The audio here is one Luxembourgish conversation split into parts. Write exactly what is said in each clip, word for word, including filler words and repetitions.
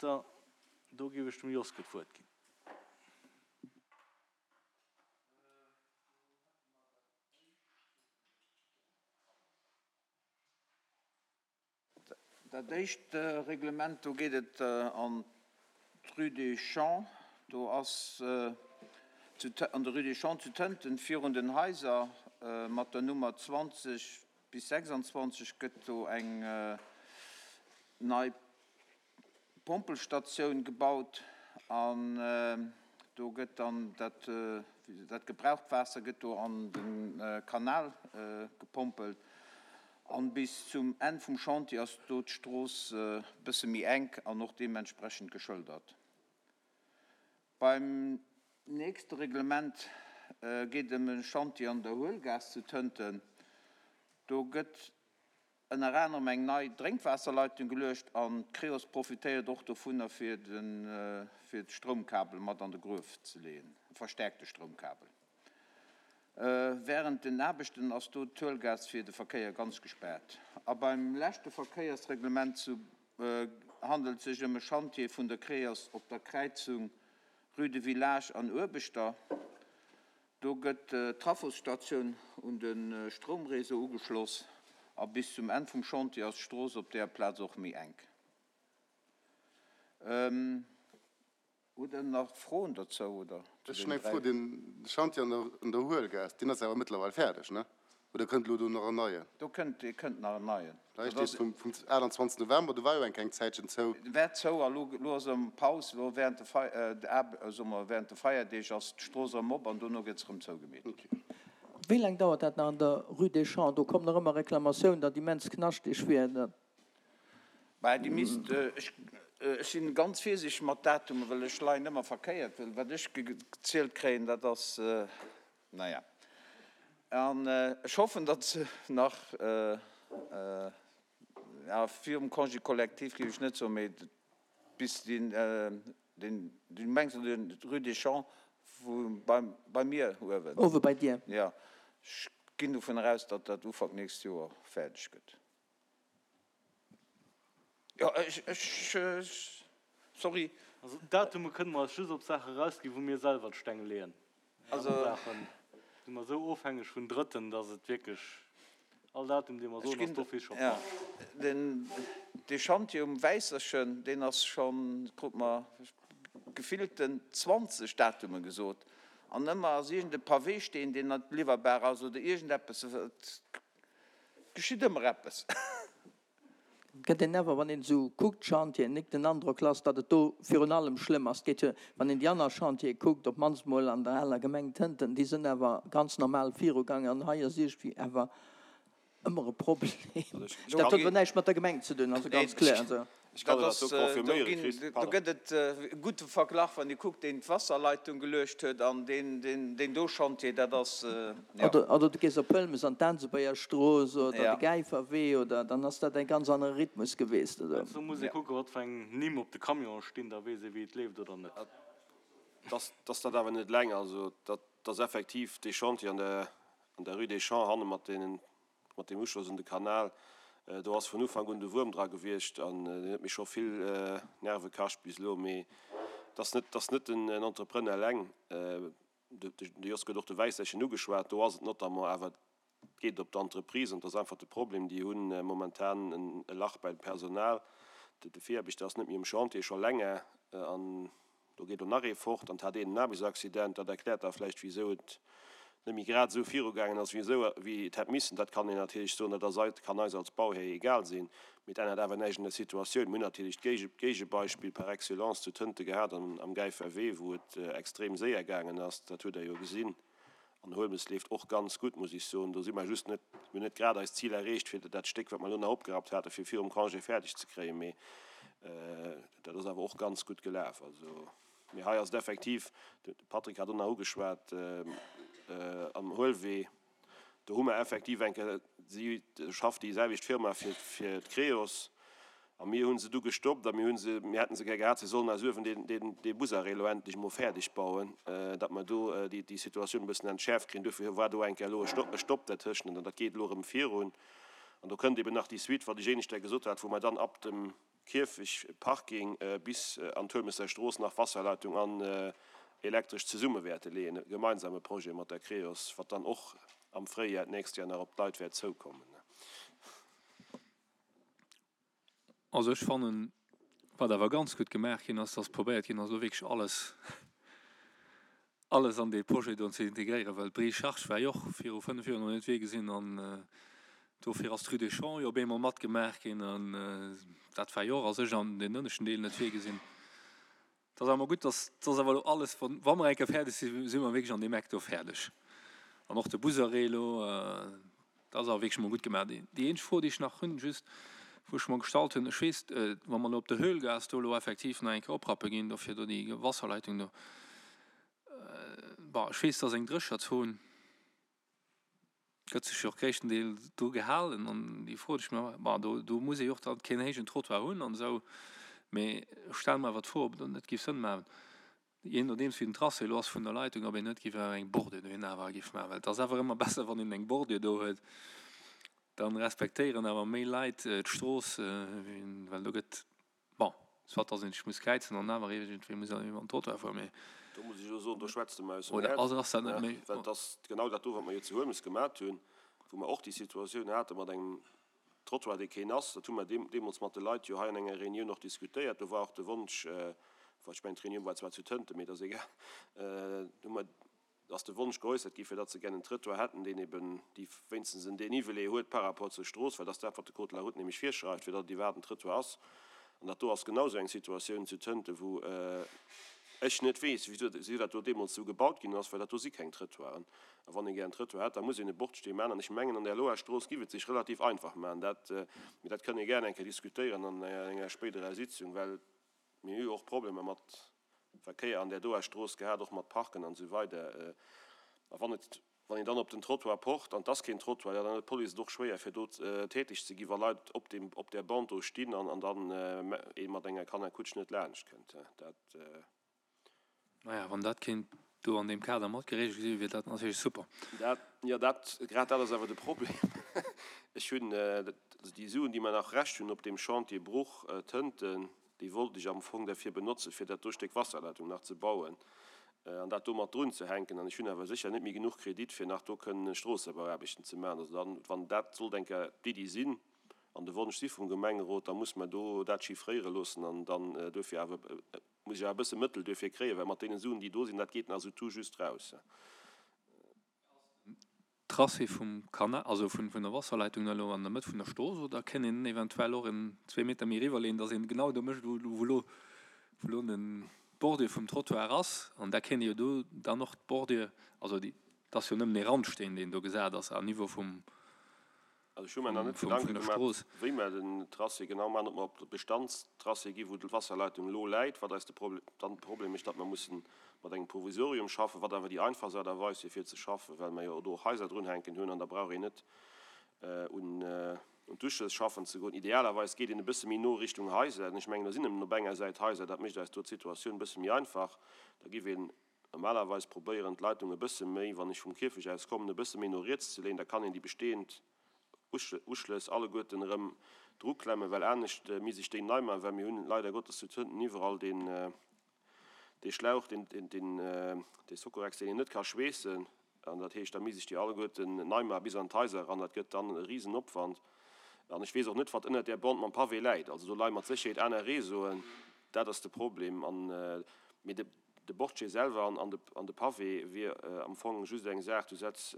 Do géif ech dem Joske d'Wuert ginn. Dat éischt Reglement, do geet et an d'Rue des Champs. Do ass an der Rue des Champs zu Tënten virun den Haiser mat der Nummer zwanzeg bis sechsanzwanzeg gëtt do eng nei Pompelstatioun gebaut an do gëtt dann dat dat gebraucht Waasser gëtt do an de Kanal gepompelt an bis zum Enn vum Chantier ass do d'Strooss e bësse méi enk an och deementsprechend geschëldert. Beim nächste Reglement geet ëm e Chantier an der Huelgaass zu Tënten. Do gëtt ënner anerem eng nei Drénkwaasserleitung geluecht an d'Creos profitéiert och dovunner fir de fir d'Stroumkabel mat an de Gruef ze leeën, e verstärkte Stroumkabel. Während den Aarbechten ass do d'Huelgaass fir de Verkéier ganz gespaart. A beim leschte Verkéiersreglement zu handelt sech ëm e Chantier vun der Creos op der Kräizung Rue de Village an Uebeschter. Do gëtt d'Trafosstatioun un de Stroumréseau ugeschloss a bis zum Enn vum Chantier ass d'Strooss op där Plaz och méi enk. Hutt Der nach Froen dozou oder zu Ech hunn den eng Fro, dräi? Den Chantier an der an der Huelgaass, deen ass awer mëttlerweil fäerdeg, ne? Oder kënnt elo do nach en neien? Do kënnt, dee kënnt nach en neien. Hei Dat steet ass. vum vum aachtanzwanzegsten November, do war jo eng kleng Zäitchen zou. War zou a lo, lo ass erëm Paus. Lo während de Fei, de Aarbe, soe mer, während de Feierdeeg ass d'Strooss erëm op an dono gëtt se erëm zougemeet. Ok. Wéi laang dauert dat nach an der Rue des Champs? Do kommen nach ëmmer Reklamatioun, datt immens knaschteg wier. Dat. Bah, déi misst, ech, ech sinn ganz virsiichteg mat Datumen, well ech leien ëmmer verkéiert, well wat ech gezielt kréien, dat ass, naja. An ech hoffen, datt se nach, ja, virum Congé collectif géif ech net soen, mee bis deen, deen, du mengs de Rue des Champs wou bei, bei mir uewen? Uewe bei dir. Ja, ech ginn dovun eraus, datt dat Ufank nächst Joer fäerdeg gëtt. Jo, ech, ech, sorry. Also Datume kënne mer eis just op Saache erausginn, wou mir selwer d'Steng leeën. Also. Aner Saache si mer esou ofhängeg vun Drëtten, datt et wierklech all Datum, dee mer Ech soen, ass ginn, d'office scho ja, falsch. den, dee Chantier um Wäisserchen, deen ass schonn, krut mer gefillten zwanzeg Datume gesot, an ëmmer ass iergend e Paweesteen, deen net liwwerbar ass oder iergendeppes, et geschitt ëmmer eppes. Et gëtt een awer, wann een esou kuckt, d'Chantieren, nik den Androck lass, datt et do virun allem schlëmm ass. Et geet jo, wann een déi aner Chantiere kuckt, op d'mannst mol an der aler Gemeng Tënten, déi sënn awer ganz normal virugaangen an hei ass iergendwéi awer ëmmer e Problem. Dat huet awer näischt mat der Gemeng ze dun, also ganz kloer. Also. Ech kann Dat dat ass, do do confirméieren, ginn, Chris, do pardon. gëtt et e gudde Verglach, wann Dir kuckt, deen d'Wasserleitung geluecht huet an deen, deen, deen do Chantier, dat ass, jo. Oder, oder du gees op Pëlmes an d'Aansebuerger Strooss oder de Ja. Gäiferwee oder, dann ass dat e ganz anere Rhythmus geweest, oder? Do muss ee Ja. kucken, wat fir eng Nimm op de Camionen stinn, da weess ee wéi et leeft oder net. Dass, dass dat awer net eleng, also dat ass effektiv dee Chantier an der, an der Rue des Champs hanne mat deenen, mat deem Uschloss un de Kanal, do ass vun Ufank un de Wuerm dra gewiescht an deen huet mir scho vill Nerve kascht bis elo. Mee et ass net, et ass net den Entrepreneur eleng. De Jos huet och de Wäisserchen ugeschwat, do ass et notamment awer, et geet op d'Entreprise an et ass einfach de Problem, déi hu momentan e Lach beim Personal. De Viraarbechter ass net méi um Chantier, scho länger, an do geet och nach ee fort an et hat een en Aarbechtsaccident. Dat erkläert da vläicht, wisou et net méi grad esou virugaangen ass, wéi esou, wéi et hätt missen. Dat kann een natierlech soen, dat ass eis, kann eis als Bauhär egal sinn, mee et ännert awer näischt un der Situatioun. Mir hunn natierlech d'Géige, d'Géigebeispill par excellence zu Tënte gehat am, am Gäiferwee, wou et extrem séier gaangen ass. Dat hutt Der jo gesinn. An Huelmes leeft och ganz gutt, muss ech soen. Do si mer just net, mir hunn net grad eist Zil erreecht, fir dat Stéck, wat mer elo nach opgerappt haten, fir virum Congé fäerdeg ze kréien, mee dat ass awer och ganz gutt gelaf. Also, mee hei ass et effektiv, de Patrick hat och nach ugeschwat, am Huelwee, do hu mer effektiv eng Kéier, si schafft déi selwecht Firma fir fir d'Creos, a mir hu se du gestoppt a mir hu se, mir hätte se gär gehat, se sollen eis uewen deen, deen, dee Busarrêt elo endlech emol fäerdeg bauen, datt mer do déi, déi Situatioun e bëssen entschäerft kréien. Dofir war do eng Kéier elo e Stopp, e Stopp dertëschent an dat geet elo erëm virun. An do kënnt eben nach déi Suite, wat ech éineschter gesot hat, wou mer dann ab dem Kierfech Parking bis an d'Huelmesser Strooss nach Wasserleitung an Elektresch zesumme wäerte leeën, e gemeinsame Projet mat der Creos, wat dann och am Fréijoer d'nächst Joer nach op d'Leit wäert zoukommen. Also ech fannen, wat awer ganz gutt gemaach ginn ass, dass probéiert ginn ass, elo wierklech alles, alles an dee Projet do ze integréieren, well d'Brie-Charge war jo och viru fënnef Joer nach net virgesinn an dofir ass d'Rue des Champs jo op eemol matgemaach ginn an dat war jo och a sech an den ënneschten Deel net virgesinn. Et ass awer gutt, dass dass awer elo alles, wa mer eng Kéier fäerdeg sinn, si mer wierklech an deem Eck do fäerdeg. An och de Busarrêt elo, dat ass awer wierklech emol gutt gemaach. Déi eenzeg Fro, déi ech nach hunn, just wou ech mer gestallt hunn, ech weess, wa mer elo op der Höhlgaass do elo effektiv nach eng Kéier oprappe ginn, do fir do déi Wasserleitung do, bon, ech weess, dass eng Drécherzon, gëtt sech jo och gréisstendeels dru gehalen an déi Fro, déi ech mer, bon, do, do muss ee jo och dann keen héijen Trottoir hunn an esou, mee ech stelle mer awer d'Fro, ob et dann net géif Sënn maachen, jee nodeems wéi den Tracé elo ass vun der Leitung, ob een net géif awer eng Bordure dohin awer géif maachen, well et ass awer ëmmer besser, wann een eng Bordure do huet, dann respektéieren awer méi Leit d'Strooss, well do gëtt, bon, soit dass een sech muss kräizen an awer iergendwéi muss een iwwer den Trottoir fueren, mee. Do muss ech elo soen, do schwätz de mer aus dem Oder Häerz, ass, ass dat net méi. well et ass genau dat do, wat mer jo zu Huelmes gemat hunn, wou mer och déi Situatioun hate mat engem Trottoir, dee keen ass. Dat hu mer deemools mat de Leit jo hei an enger Reunioun och diskutéiert. Do war och de Wonsch, enfin ech mengen d'Reunioun war zwar zu Tënten, mee et ass egal, do hu mer, ass de Wonsch geäussert gi fir datt se gär en Trëttoir hätten, deen eben déi wéinstens en Dénivelé huet par rapport zur Strooss, well dat ass dat, wat de Code de la route nämlech virschreift, fir datt et iwwerhaapt en Trëttoir ass. An dat do ass genau esou eng Situatioun zu Tënte, wou ech net weess, wéi dat do deemools esou gebaut ginn ass, well dat do si keng Trëttoiren. A wann ee gär en Trëttoir hätt, da muss een e Bordstee maachen. An ech mengen, an där Loher Strooss giff et sech relativ einfach maachen. Dat, mee dat kënne gär eng Kéier diskutéieren an enger spéiderer Sitzung, well mir hu jo och Problemer mat Verkéier an där doer Strooss gehat, och mat Parken an esou weider. A wann et, wann een dann op den Trottoir pocht an et ass keen Trottoir, jo dann huet d'Police et och schwéier fir do täteg ze ginn, wa Leit op deem, op där Bande do stinn an an dann ee mat enger Kannerkutsch net laanscht kënnt. Dat. Naja, wann dat kéint do an deem Kader mat geregelt gi wier dat natierlech super. Dat, jo, dat, grad dat ass awer de Problem. Ech hunn déi Suen, déi mer nach Rescht hunn op deem Chantier Bruch Tënten, Déi wollt ech am Fong derfir benotzen, fir dat do Stéck Wasserleitung nach ze bauen an dat do mat drun ze hänken. An ech hunn awer sécher net méi genuch Kredit, fir nach do kënnen Stroossebauaarbechten ze maachen. Also dann, wann dat sollt eng Kéier d'Iddi sinn an de Wonsch si vum Gemengerot, da muss mer do dat chiffréiere loossen an dann duerfir awer, muss ech awer e bësse Mëttel duerfir kréien, well mat deene Suen, déi do sinn, dat geet nach esou tout juste raus. Tracé vum Kanal, also vun der Wasserleitung elo an der Mëtt vun der Strooss, oder kéint een eventuell och en zwee Meter méi eriwwer leeën, dass een genau do mécht, wou elo wou elo den d'Bordure vum Trottoir ass, an da kéint ee jo do dann och d'Bordure, also déi, et ass jo nëmmen ee Randsteen, deen do gesat ass à niveau vum Also ech hu mer nach net vum Gedanke vun der gemaach, Strooss. wéi mer den Tracé genau maachen, ob mer op de Bestandstracé gi wou d'Wasserleitung elo läit, wat eis de Problem, dann de Problem mécht, datt mer mussen mat engem Provisorium schaffen, wat awer déi einfachst Aart a Weis wier fir ze schaffen, well mer jo do och Haiser drunhänken hunn an da brauch een net un un d'Uschlëss schaffen ze goen. Idealerweis geet een e bësse méi no Richtung Haiser. Ech mengen, do sinn nëmmen op enger Säit Haiser, dat mécht eis do d'Situatioun e bësse méi einfach. Da giff een normalerweis probéieren, d'Leitung e bësse méi, wann ech vum Kierfech aus kommen, e bësse méi no riets ze leeën. Da kann een déi bestehend Uschlëss alleguerten erëm druklemmen, well anescht misst ech déi nei maachen, well mir hunn leider Gottes zu Tënten iwwerall deen, dee Schlauch, deen, deen, dee Socorex, deen een net ka schweessen. An dat heescht, da misst ech déi alleguerten nei maachen bis an d'Haiser eran. Dat gëtt dann e Risenopwand. An ech weess och net, wat ënnert där Bande mam Pavé läit. Also do leie mat Sécherheet aner Réseauen. Dat ass de Problem. An, mee de, de Bordché selwer an de, an de Pavé wier am Fong just eng Saach, du setz,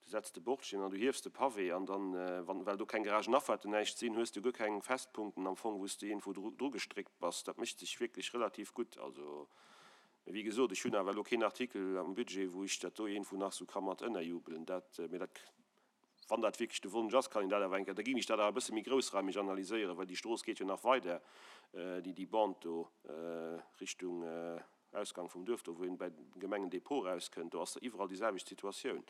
Du setz de Bordchen an du hiefs de Pavé an dann, wann, well do keng Garagenafaarten, näischt sinn, hues du guer keng Festpunkten am Fong, wou s de iergendwou dru, drugestréckt bass. Dat mécht sech wierklech relativ gutt. Also, mee wéi gesot, ech hunn awer elo keen Artikel am Budget, wou ech dat do iergendwou nach esou ka mat ënnerjubelen. Dat, mee dat, wann dat wierklech de Wonsch ass, kann een dat awer eng Kéier, da géing ech dat awer e bësse méi groussraimeg analyséieren, well déi Strooss geet jo nach weider, déi, déi Bande do Richtung, Ausgang vum Duerf, do wou een bäi de Gemengendepot erauskënnt, do ass der iwwerall déi selwecht Situatioun.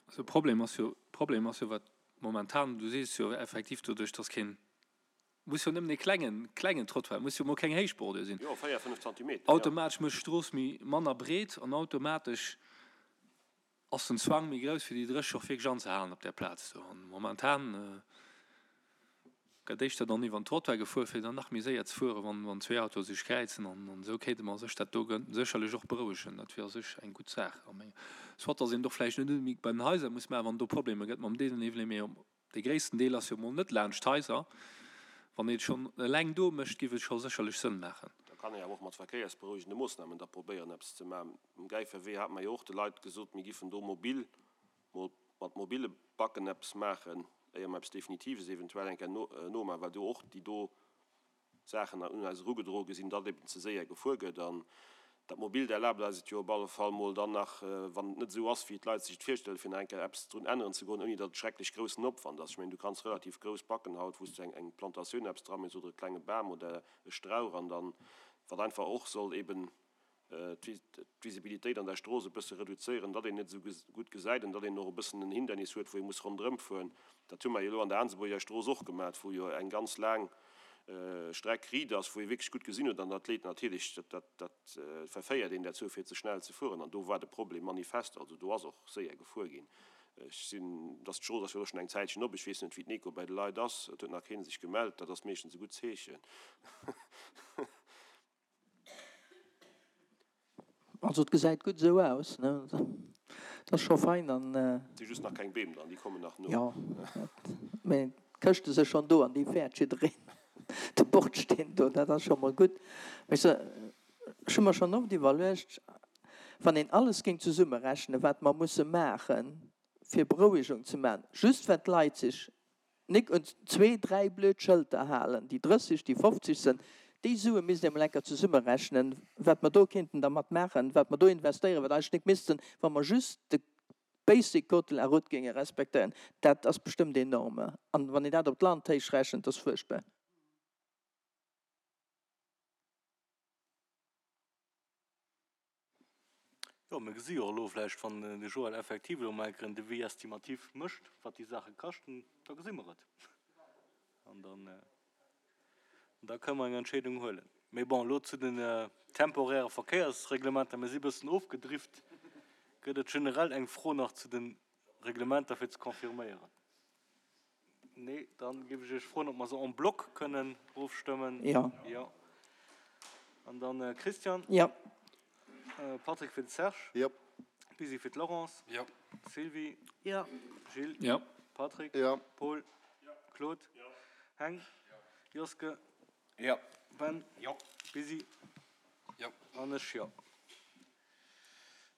Also Problem ass jo, Problem ass jo wat momentan, du sees jo effektiv doduerch, dass keen, muss jo nëmmen e klengen, klengen Trottoir, muss jo mol keng héich Bordure sinn, Jo, véier, fënnef Zantimeter, jo. automatesch mécht d'Strooss méi manner breet an automatesch ass den Zwang méi grouss fir déi Dréch och wierklech anzehalen op där Plaz do. An momentan Gëtt éischter dann iwwer den Trottoir gefuer, fir dann nach méi séier ze fueren, wann, wann zwee Autoe sech kräizen. An, an esou kéinte mer sech dat do sécherlech och berouegen. Dat wier a sech eng gutt Saach a menge. Soit datt een et och vläicht net onbedéngt bei den Haiser muss maachen, wann do Problemer gëtt mam Dénivelé, mee dee gréissten Deel ass jo emol net laanscht d'Haiser. Wann een et schonn eleng do mécht, géif et scho sécherlech Sënn maachen. Da kann ee awer och mat verkéiersberouegende Moossnamen da probéieren, eppes ze maachen. Um Gäiferwee hate mer jo och de Leit gesot, mir giffen do mobil mol mat mobile Backen eppes maachen, éier mer eppes Definitives eventuell eng Kéier nomaachen, well do och déi do Saachen un eis erugedroe gi sinn, datt eben ze séier gefuer gëtt. An dat Mobilt erlaabt eis et jo op alle Fall mol dann nach, wann et net esou ass, wéi d'Leit sech et virstellen, fir nach eng Kéier eppes drun änneren ze goen, ouni datt et schrecklech groussen Opwand ass. Ech mengen, du kanns relativ grouss Backen haut, wou s du eng eng Plantatioun eppes dra méchs oder e klenge Bam oder e Strauch an dann, wat einfach och soll eben d'Visibilitéit an der Strooss e bësse reduzéieren, datt een net esou gutt gesäit an datt een och e bëssen en Hindernis huet, wou ee muss ronderëm fueren. Dat hu mer jo elo an der Aansebuerger Strooss och gemat, wou jo eng ganz laang Streck riit ass, wou ee wierklech gutt gesinn huet. An dat leet natierlech, dat, dat verféiert een derzou, fir ze schnell ze fueren. An do war de Problem manifest. Also do ass och séier gefuer ginn. Ech sinn, dass d'Strooss ass jo elo schonn eng Zäitchen op. Ech weess net, wéi d'Neco bei de Leit ass. Et huet nach kee sech gemellt. Dat ass meeschtens e gutt Zeechen. Also et gesäit gutt esou aus, ne? Et ass scho fein an. Et si just nach keng Beem dran, déi kommen nach no. Jo, mä d'Këschte si schonn do an déi fäert jiddereen. De Bordsteen do, dat ass scho mol gutt. Mä ech hu mer schonn oft iwwerluecht, wann een alles géing zesummerechnen, wat mer musse maachen, fir Berouegung ze maachen, just well d'Leit sech Nik un zwee, dräi blöd Schëlter halen, déi drësseg, déi fofzeg sënn, déi Sue misst ee mol enker zesummerechnen, wat mer do kéinten dermat maachen, wat mer do investéieren, wat eigentlech nik missten, wa mer just de basic Code de la route géinge respektéieren. Dat ass bestëmmt enorme. An wann een dat op d'Land héich rechent, dat ass fuerchtbar. Jo, mir gesi jo och elo vläicht, wann de Joël effektiv elo mol eng Kéier en Devis estimatif mécht, wat déi Saache kaschten, da gesi mer et. An dann, da kënne mer eng Entscheedung huelen. Mee bon, elo zu den temporäre Verkéiersreglementer, mir si e bëssen ofgedrift. Gëtt et generell eng Fro nach zu de Reglementer fir ze confirméieren? Nee, dann géif ech Iech froen, ob mer se en bloc kënnen ofstëmmen. Jo. Jo. An dann Christian. Jo. Patrick fir de Serge. Jo. Busy fir d'Laurence. Jo. Sylvie. Jo. Gilles. Jo. Patrick. Jo. Paul. Jo. Claude. Jo. Heng. Jo. Joske. Jo. Ben. Jo. Busy. Jo. An ech jo.